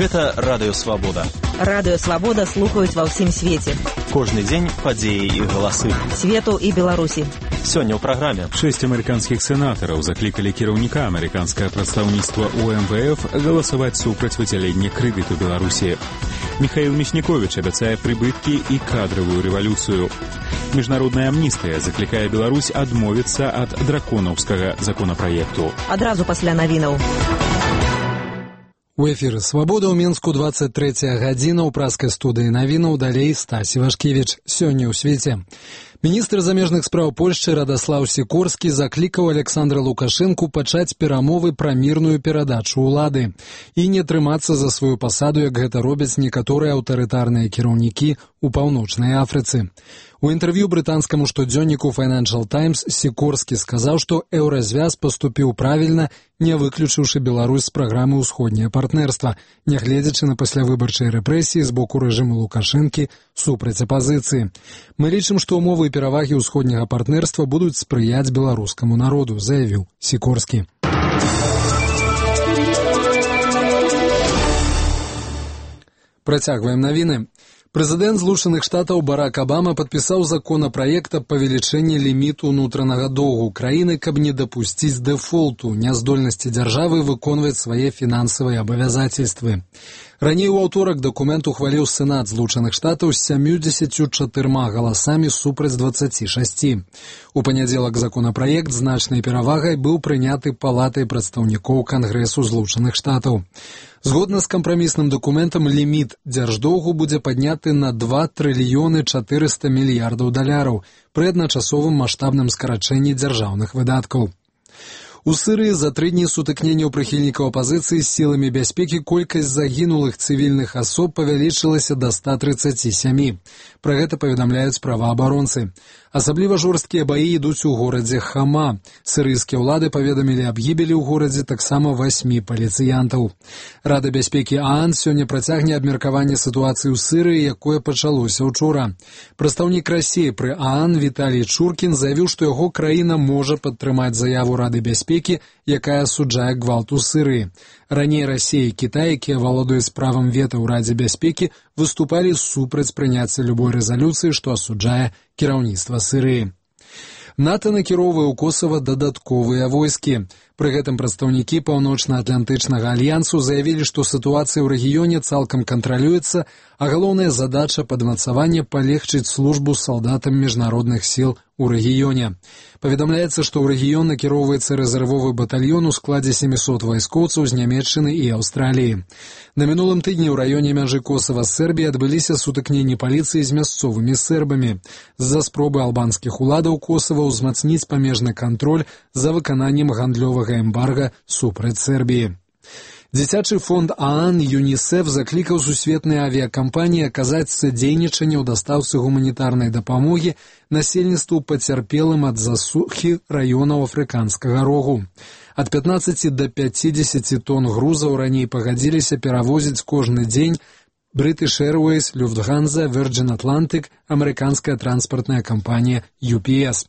Гэта Радыё Свабода. Радыё Свабода слухаюць ва ўсім свеце. Кожны дзень падзеі і галасы. Свету і Беларусі. Сёння ў праграме. 6 амерыканскіх сенатараў заклікалі кіраўніка амерыканскае прадстаўніцтва ў МВФ галасаваць супраць выдзялення крэдыту Беларусі. Михаил Мясніковіч абяцае прыбыткі і кадравую рэвалюцыю. Міжнародная амністыя заклікае Беларусь адмовіцца ад драконаўскага законапраекту. Адразу пасля навінаў. У эфіры «Свабода» ў Мінску 23 гадзіна ў праскай студыі навінаў, далей Стасі Вашкевіч. Сёння ў свеце. Міністр замежных спраў Польшчы Радаслаў Сікорскі заклікаў Александра Лукашэнку пачаць перамовы пра мірную перадачу ўлады і не трымацца за сваю пасаду, як гэта робяць некаторыя аўтарытарныя кіраўнікі ў Паўночнай Афрыцы. У інтэрв'ю брытанскаму штодзённіку Financial Times Сікорскі сказаў, што еўразвяз паступіў правільна, не выключыўшы Беларусь з праграмы «Усходняе партнерства», нягледзячы на паслявыбарчыя рэпрэсіі з боку рэжыму Лукашэнкі супраць апазіцыі. Мы лічым, што ўмовы і перавагі ўсходняга партнерства будуць спрыяць беларускаму народу, заявіў Сікорскі. Працягваем навіны. Прэзідэнт Злучаных Штатаў Барак Абама падпісаў законапраект аб павелічэнні ліміту ўнутранага доўгу краіны, каб не дапусціць дэфолту, няздольнасці дзяржавы выконваць свае фінансавыя абавязацельствы. Раней у аўторак дакумент ухваліў Сенат Злучаных Штатаў з 74 галасамі супраць 26. У панядзелак законапраект значнай перавагай быў прыняты Палатай прадстаўнікоў Кангрэсу Злучаных Штатаў. Згодна з кампрамісным дакументам, ліміт дзярждоўгу будзе падняты на 2 трыльёны 400 мільярдаў даляраў пры адначасовым маштабным скарачэнні дзяржаўных выдаткаў. У Сырыі за 3 дні сутыкненняў прыхільнікаў апазіцыі з сіламі бяспекі колькасць загінулых цывільных асоб павялічылася да 137. Пра гэта паведамляюць праваабаронцы. Асабліва жорсткія баі ідуць у горадзе Хама. Сырыйскія ўлады паведамілі аб гібелі ў горадзе таксама 8 паліцыянтаў. Рада бяспекі ААН сёння працягне абмеркаванне сітуацыі ў Сырыі, якое пачалося ўчора. Прадстаўнік Расіі пры ААН Віталій Чуркін заявіў, што яго краіна можа падтрымаць заяву Рады бяспекі, якая асуджае гвалт у Сырыі. Раней Расія і Кітай, якія валодаюць правам вета ў Радзе бяспекі, выступалі супраць прыняцця любой рэзалюцыі, што асуджае кіраўніцтва Сырыі. НАТО накіроўвае ў Косава дадатковыя войскі. Пры гэтым прадстаўнікі Паўночна-Атлантычнага альянсу заявілі, што сітуацыя ў рэгіёне цалкам кантралюецца, а галоўная задача падмацавання палегчыць службу салдатам міжнародных сіл у рэгіёне. Паведамляецца, што ў рэгіён накіроўваецца рэзервовы батальён у складзе 700 вайскоўцаў з Нямецчыны і Аўстраліі. На мінулым тыдні ў раёне мяжы Косава з Сербіяй адбыліся сутыкненні паліцыі з мясцовымі сербамі з-за спробы албанскіх уладаў Косава ўзмацніць памежны кантроль за выкананнем гандлёвага эмбарга супраць Сербіі. Дзіцячы фонд ААН ЮНІСЕФ заклікаў сусветныя авіякампаніі аказаць садзейнічанне ў дастаўцы гуманітарнай дапамогі насельніцтву пацярпелым ад засухі раёнаў афрыканскага рогу. Ад 15 да 50 тонн грузаў раней пагадзіліся перавозіць кожны дзень British Airways, Lufthansa, Virgin Atlantic, амерыканская транспартная кампанія UPS.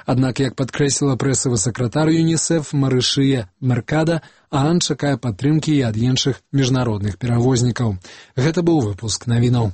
Аднак, як падкрэсліла прэсавы сакратар ЮНІСЕФ Марышыя Меркада, ААН чакае падтрымкі і ад іншых міжнародных перавознікаў. Гэта быў выпуск навінаў.